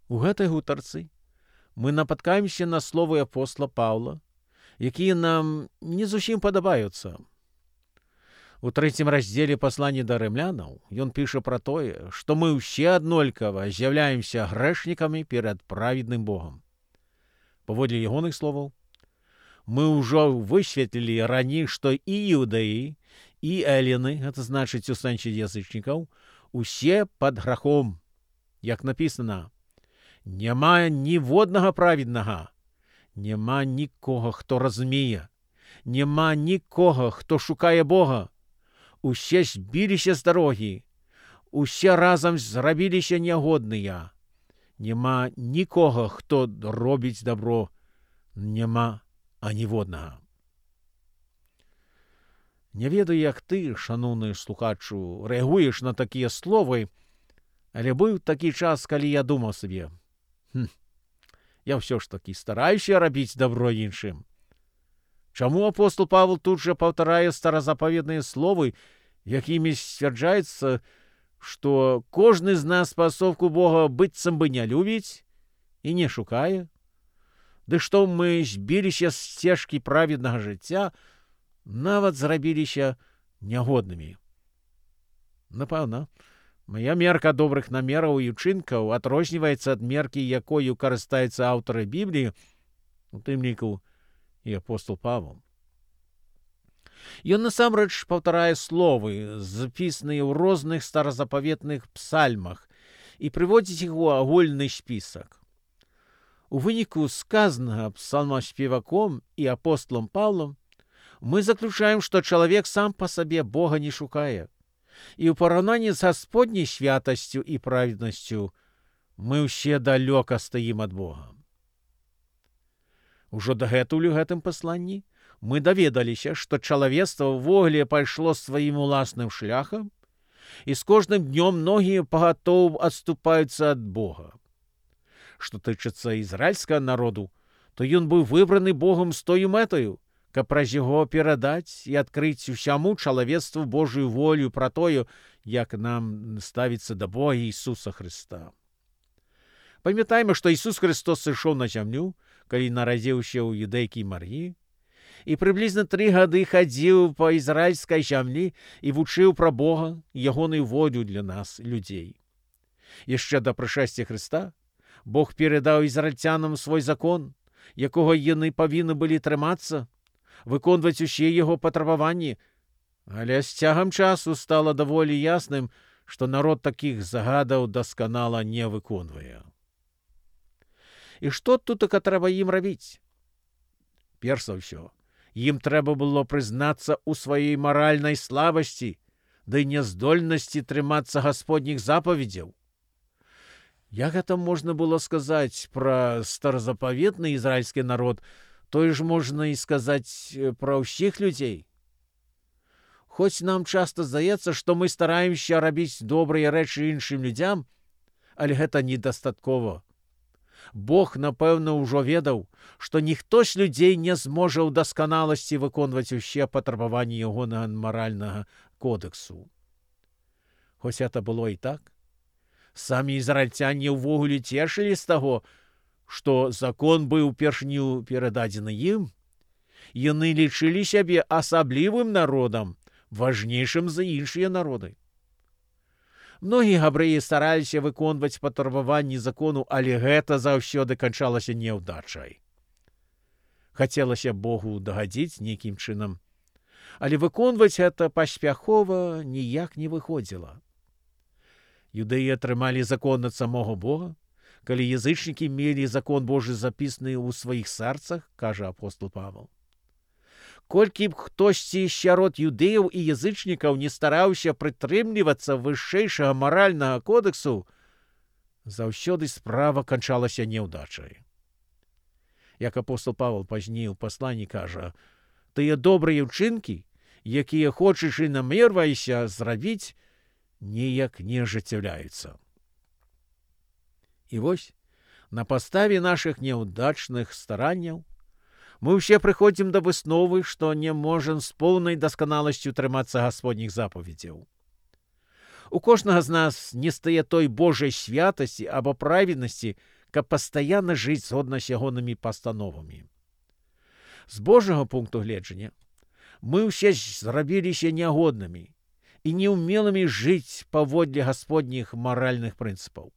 У гэтай гутарцы мы напаткаемся на словы апостола Паўла, якія нам не зусім падабаюцца. У 3 раздзеле паслання да рымлянаў ён піша пра тое, што мы ўсе аднолькава з'яўляемся грэшнікамі перад праведным Богам. Паводле ягоных словаў, мы ўжо высветлілі раней, што і іўдаі, і элены, гэта значыць у сэнсе язычнікаў, усе пад грахом. Як напісана, няма ніводнага праведнага, няма нікога, хто разумее, няма нікога, хто шукае Бога. Усе збіліся з дарогі, усе разам зрабіліся нягодныя. Няма нікога, хто робіць добро, няма аніводнага. Не ведаю, як ты, шановны слухачу, рэагуеш на такія словы, але быў такі час, калі я думаў сабе, я ўсё ж такі стараюся рабіць добро іншым. Чаму апостол Павел тут жа паўтарае старазапаветныя словы, якімі сцвярджаецца, што кожны з нас спасовку Бога быццам бы не любіць і не шукае? Ды што мы збіліся з сцежкі праведнага жыцця, нават зрабіліся нягоднымі. Напэўна, мая мерка добрых намераў і ўчынкаў адрозніваецца ад меркі, якою карыстаюцца аўтары Бібліі, у тым ліку і апостол Павел. Ён насамрэч паўтарае словы, запісаныя ў розных старазапаветных псальмах, і прыводзіць іх у агульны спісак. У выніку сказанага псалмаспеваком і апостолам Паўлам мы заключаем, што чалавек сам па сабе Бога не шукае, і ў параўнанні з Гасподняй святасцю і праведнасцю мы ўсе далёка стаім ад Бога. Ужо дагэтуль у гэтым пасланні мы даведаліся, што чалавецтва ўвогуле пайшло сваім уласным шляхам, і з кожным днём многія пагатоў адступаюцца ад Бога. Што тычыцца ізраільскага народу, то ён быў выбраны Богом з тою мэтаю, каб праз яго перадаць і адкрыць усяму чалавецтву Божую волю пра тое, як нам ставіцца да Бога Ісуса Хрыста. Памятаем, што Ісус Христос сышоў на зямлю, калі нарадзіўся ў юдэйкі Мар'і, і прыблізна 3 гады хадзіў па ізраільскай зямлі і вучыў пра Бога і ягоную волю для нас, людзей. Яшчэ да прышэсця Хрыста Бог перадаў ізраільцянам свой закон, якога яны павінны былі трымацца, выконваць усе яго патрабаванні, але з цягам часу стала даволі ясным, што народ такіх загадаў дасканала не выконвае. І што тутака трэба ім рабіць? Перш за ўсё, ім трэба было прызнацца ў сваёй маральнай слабасці ды няздольнасці трымацца гасподніх запаведзяў. Як гэта можна было сказаць пра старазапаветны ізраільскі народ, тое ж можна і сказаць пра ўсіх людзей. Хоць нам часта здаецца, што мы стараемся рабіць добрыя рэчы іншым людзям, але гэта недастаткова. Бог, напэўна, ужо ведаў, што ніхто з людзей не зможа ў дасканаласці выконваць усе патрабаванні ягонага маральнага кодэксу. Хоць гэта было і так, самі ізраільцяне ўвогуле цешылі з таго, што закон быў упершыню перададзены ім, яны лічылі сябе асаблівым народам, важнейшым за іншыя народы. Многія габрэі стараліся выконваць патрабаванні закону, але гэта заўсёды канчалася няўдачай. Хацелася Богу дагадзіць нейкім чынам, але выконваць гэта паспяхова ніяк не выходзіла. Юдэі атрымалі закон ад самога Бога, калі язычнікі мелі закон Божы запісаны ў сваіх сэрцах, кажа апостол Павел. Колькі б хтосьці сярод юдэяў і язычнікаў не стараўся прытрымлівацца вышэйшага маральнага кодэксу, заўсёды справа канчалася няўдачай. Як апостол Павел пазней у пасланні кажа, тыя добрыя ўчынкі, якія хочаш і намерваешся зрабіць, ніяк не ажыццяўляюцца. І вось, на падставе нашых няўдачных старанняў мы ўсе прыходзім да высновы, што не можам з поўнай дасканаласцю трымацца гасподніх запаведзяў. У кожнага з нас не стае той Божай святасці або праведнасці, каб пастаянна жыць згодна з ягонымі пастановамі. З Божага пункту гледжання мы ўсе зрабіліся нягоднымі і неўмелымі жыць паводле гасподніх маральных прынцыпаў.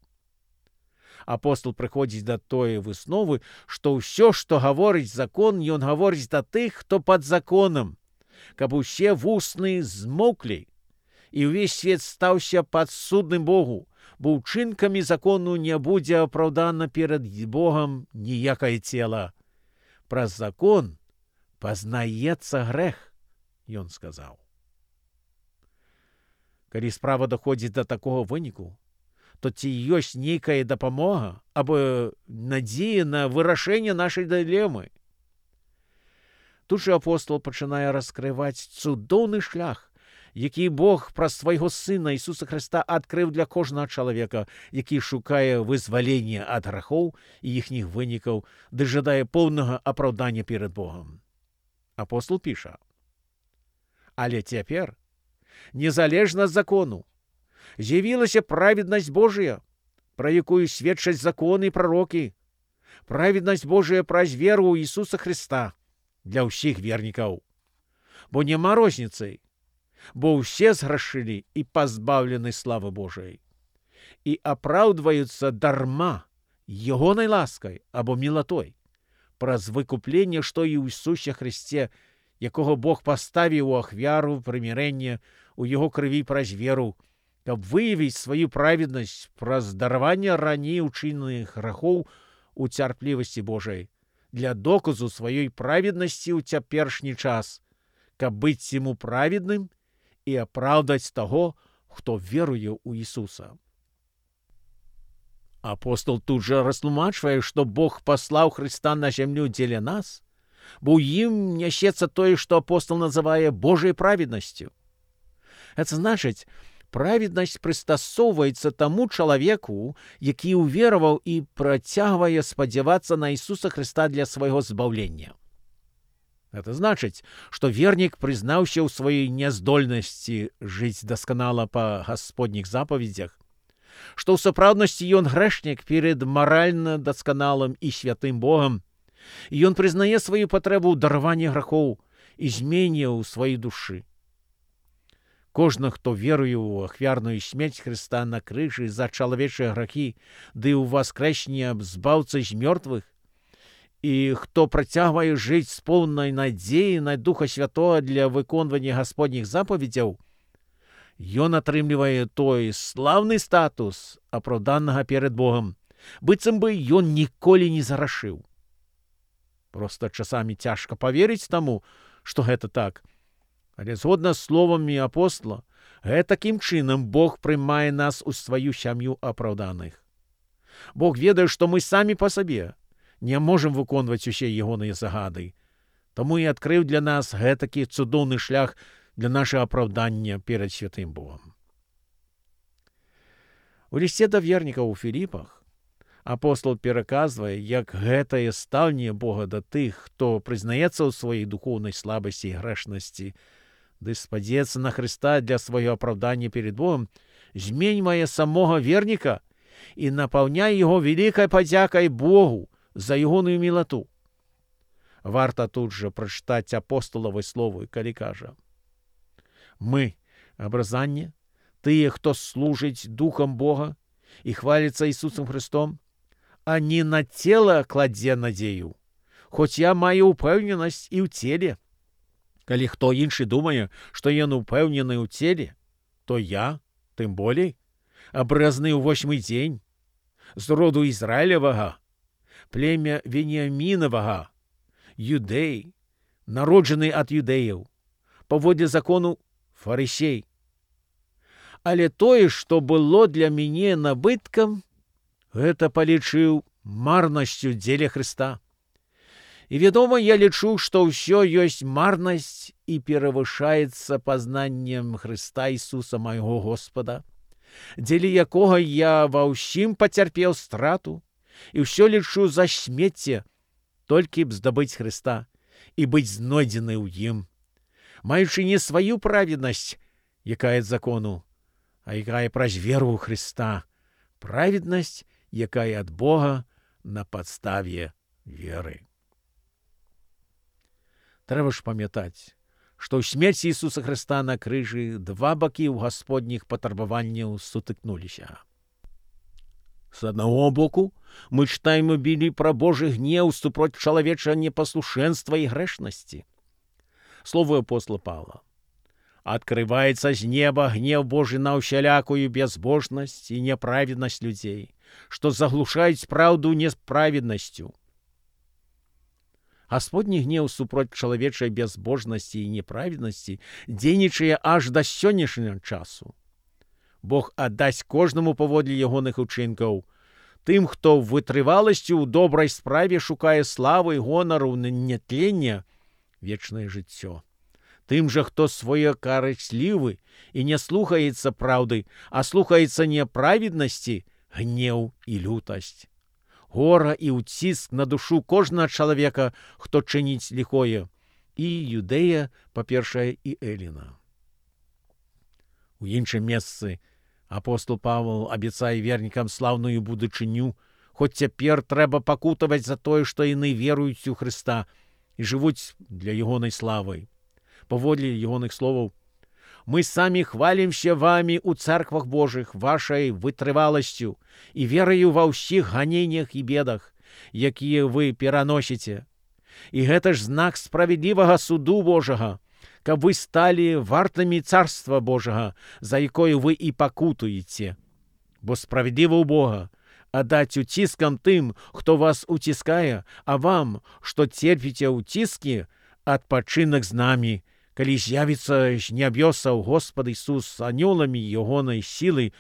Апостол прыходзіць да той высновы, што ўсё, што гаворыць закон, ён гаворыць да тых, хто пад законам, каб усе вусны змоўклі, і ўвесь свет стаўся падсудным Богу, бо ўчынкамі закону не будзе апраўдана перад Богам ніякае цела. Праз закон пазнаецца грэх, ён сказаў. Калі справа даходзіць да такога выніку, то ці ёсць нейкая дапамога або надзея на вырашэнне нашай дылемы? Тут жа апостол пачынае раскрываць цудоўны шлях, які Бог праз свайго Сына Ісуса Хрыста адкрыў для кожнага чалавека, які шукае вызвалення ад грахоў і іхніх вынікаў, ды жадае поўнага апраўдання перад Богам. Апостол піша: «Але цяпер, незалежна ад закону, з'явілася праведнасць Божая, пра якую сведчаць законы і прарокі, праведнасць Божая праз веру ў Ісуса Хрыста для ўсіх вернікаў. Бо няма розніцы, бо ўсе зграшылі і пазбаўлены славы Божай, і апраўдваюцца дарма ягонай ласкай або мілатой, праз выкупленне, што і ў Ісусе Хрысце, якога Бог паставіў у ахвяру прымірэння у яго крыві праз веру, каб выявіць сваю праведнасць праз дараванне раней учыненых грахоў у цярплівасці Божай, для доказу сваёй праведнасці ў цяперашні час, каб быць яму праведным і апраўдаць таго, хто веруе ў Ісуса». Апостол тут жа растлумачвае, што Бог паслаў Хрыста на зямлю дзеля нас, бо ў ім нясецца тое, што апостол называе Божай праведнасцю. Гэта значыць, праведнасць прыстасоўваецца таму чалавеку, які ўвераваў і працягвае спадзявацца на Ісуса Хрыста для свайго збаўлення. Гэта значыць, што вернік прызнаўся ў сваёй няздольнасці жыць дасканала па гасподніх запаведзях, што ў сапраўднасці ён грэшнік перад маральна дасканалым і святым Богам, і ён прызнае сваю патрэбу ў дараванні грахоў і змене ў сваёй душы. Кожны, хто веруе ў ахвярную смерць Хрыста на крыжы за чалавечыя грахі, ды ў воскрэсенне збаўцы з мёртвых, і хто працягвае жыць з поўнай надзеі на Духа Святога для выконвання гасподніх запаведзяў, ён атрымлівае той слаўны статус апраўданага перад Богам, быццам бы ён ніколі не зарашыў. Проста часамі цяжка паверыць таму, што гэта так, але згодна з словамі апостола, гэтакім чынам Бог прымае нас у сваю сям'ю апраўданых. Бог ведае, што мы самі па сабе не можам выконваць усе ягоныя загады, таму і адкрыў для нас гэтакі цудоўны шлях для нашага апраўдання перад святым Богам. У лісце да вернікаў у Філіпах апостол пераказвае, як гэтае стаўленне Бога да тых, хто прызнаецца ў сваёй духоўнай слабасці і грэшнасці, ды спадзецца на Хрыста для свайго апраўдання перед Богом, зменьвае самога верніка і напаўняе яго вялікай падзякай Богу за ягоную мілату. Варта тут жа прачытаць апостолавы словы, калі кажа: «Мы, абразанне, тыя, хто служыць Духам Бога і хваліцца Ісусам Христом, а не на цела кладзе надзею, хоць я маю ўпэўненасць і ў целе. Калі хто іншы думае, што ён упэўнены ў целе, то я, тым болей, абразны ў 8-й дзень, з роду Ізраілевага, племя Веніямінавага, юдэй, народжаны ад юдэяў, паводле закону фарысей. Але тое, што было для мяне набыткам, гэта палічыў марнасцю дзеля Хрыста. І, вядома, я лічу, што ўсё ёсць марнасць і перавышаецца пазнаннем Хрыста Ісуса майго Господа, дзеля якога я ва ўсім пацярпеў страту і ўсё лічу за смецце, толькі б здабыць Хрыста і быць знойдзены ў ім, маючы не сваю праведнасць, якая ад закону, а якая праз веру ў Хрыста, праведнасць, якая ад Бога на падставе веры. Трэба ж памятаць, што ў смерці Ісуса Хрыста на крыжы два бакі ў гасподніх патрабаванняў сутыкнуліся. З аднаго боку, мы чытаем у Бібліі пра Божы гнеў супроць чалавечага непаслушэнства і грэшнасці. Словы апостола Павла. «Открывается с неба гнев Божий на усялякую безбожность и неправедность людей, что заглушает правду неправедностью». Господні гнеў супроць чалавечай безбожнасці і неправеднасці дзейнічае аж да сённяшняга часу. Бог аддасць кожнаму паводле ягоных учынкаў, тым, хто вытрываласцю ў добрай справе шукае славы, гонару, нятлення, вечнае жыццё. Тым жа, хто своекарыслівы і не слухаецца праўды, а слухаецца неправеднасці, гнеў і лютасць. Гора і ўціск на душу кожнага чалавека, хто чыніць ліхое, і Юдэя, па-першае, і Эліна. У іншым месцы апостол Павел абяцае вернікам слаўную будучыню, хоць цяпер трэба пакутаваць за тое, што яны веруюць у Хрыста і жывуць для ягонай славы. Паводле ягоных словаў: «Мы самі хвалімся вами у церквах Божых вашай вытрываласцю і вераю ва ўсіх ганеннях і бедах, якія вы пераносіце. І гэта ж знак справядлівага суду Божага, каб вы сталі вартымі царства Божага, за якое вы і пакутуеце. Бо справядліва ў Бога аддаць уціскам тым, хто вас уціскае, а вам, што церпіце ўціскі, адпачынак з намі, калі з'явіцца з нябёсаў Господ Ісус з анёламі ягонай сілы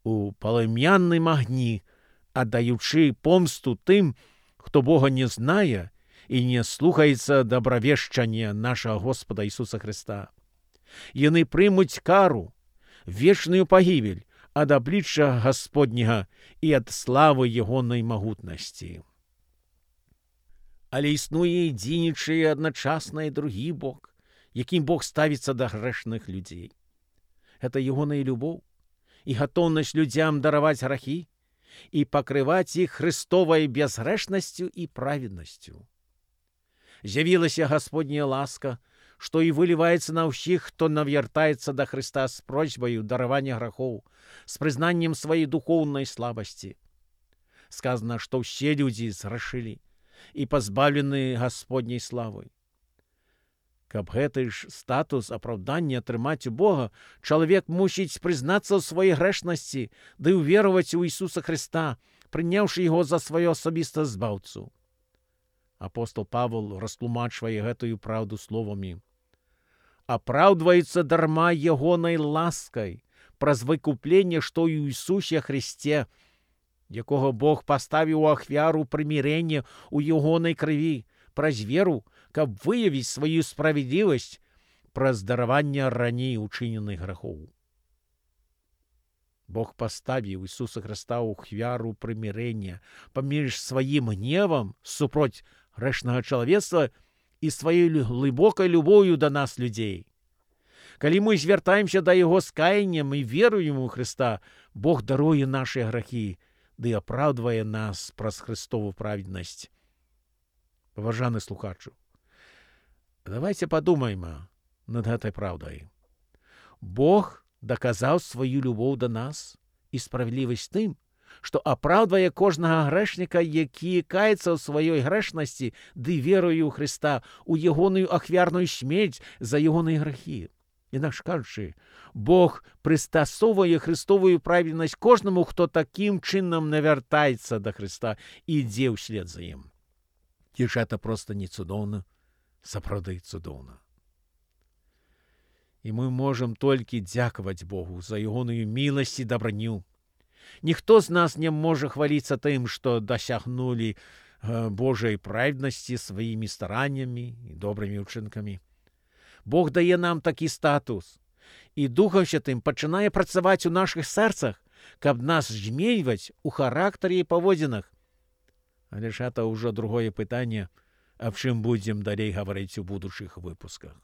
у палымянным агні, аддаючы помсту тым, хто Бога не знае і не слухаецца добравешчання нашага Господа Ісуса Хрыста. Яны прымуць кару, вечную пагібель ад аблічча Гасподняга і ад славы ягонай магутнасці. Але існуе і дзейнічае адначасна і другі бок, якім Бог ставіцца да грэшных людзей. Гэта ягоная любоў і гатоўнасць людзям дараваць грахі і пакрываць іх Хрыстовай безгрэшнасцю і праведнасцю. З'явілася Гасподняя ласка, што і выліваецца на ўсіх, хто навяртаецца да Хрыста з просьбаю даравання грахоў, з прызнаннем сваёй духоўнай слабасці. Сказана, што ўсе людзі зграшылі і пазбаўлены Гасподняй славы. Каб гэты ж статус апраўдання атрымаць у Бога, чалавек мусіць прызнацца ў сваёй грэшнасці ды ўвераваць у Ісуса Хрыста, прыняўшы яго за сваё асабістага збаўцу. Апостол Павел растлумачвае гэтую праўду словамі: «Апраўдваецца дарма ягонай ласкай праз выкупленне, што ў Ісусе Хрысце, якога Бог паставіў у ахвяру прымірэння ў ягонай крыві, праз веру, каб выявіць сваю справядлівасць праз дараванне раней учыненых грахоў». Бог паставіў Ісуса Хрыста ў ахвяру прымірэння паміж сваім гневам супроць грэшнага чалавецтва і сваёй глыбокай любоўю да нас, людзей. Калі мы звяртаемся да Яго з каяннем і веруем у Хрыста, Бог даруе нашыя грахі ды апраўдвае нас праз Хрыстову праведнасць. Паважаны слухачу, давайте падумаем над гэтай праўдай. Бог даказаў сваю любоў да нас і справядлівасць тым, што апраўдвае кожнага грэшніка, які каецца ў сваёй грэшнасці ды веруе ў Хрыста, у ягоную ахвярную смерць за ягоныя грахі. Інакш кажучы, Бог прыстасоўвае Хрыстовую праведнасць кожнаму, хто такім чынам навяртаецца да Хрыста і ідзе ўслед за ім. Ці ж гэта проста не цудоўна? Сапраўды цудоўна. І мы можам толькі дзякаваць Богу за ягоную міласць і дабранню. Ніхто з нас не можа хваліцца тым, што дасягнулі Божай праведнасці сваімі стараннямі і добрымі ўчынкамі. Бог дае нам такі статус, і Духам Святым пачынае працаваць у нашых сэрцах, каб нас зменьваць у характары і паводзінах. Але ж гэта ўжо другое пытанне, аб чым будзем далей гаварыць у будучых выпусках.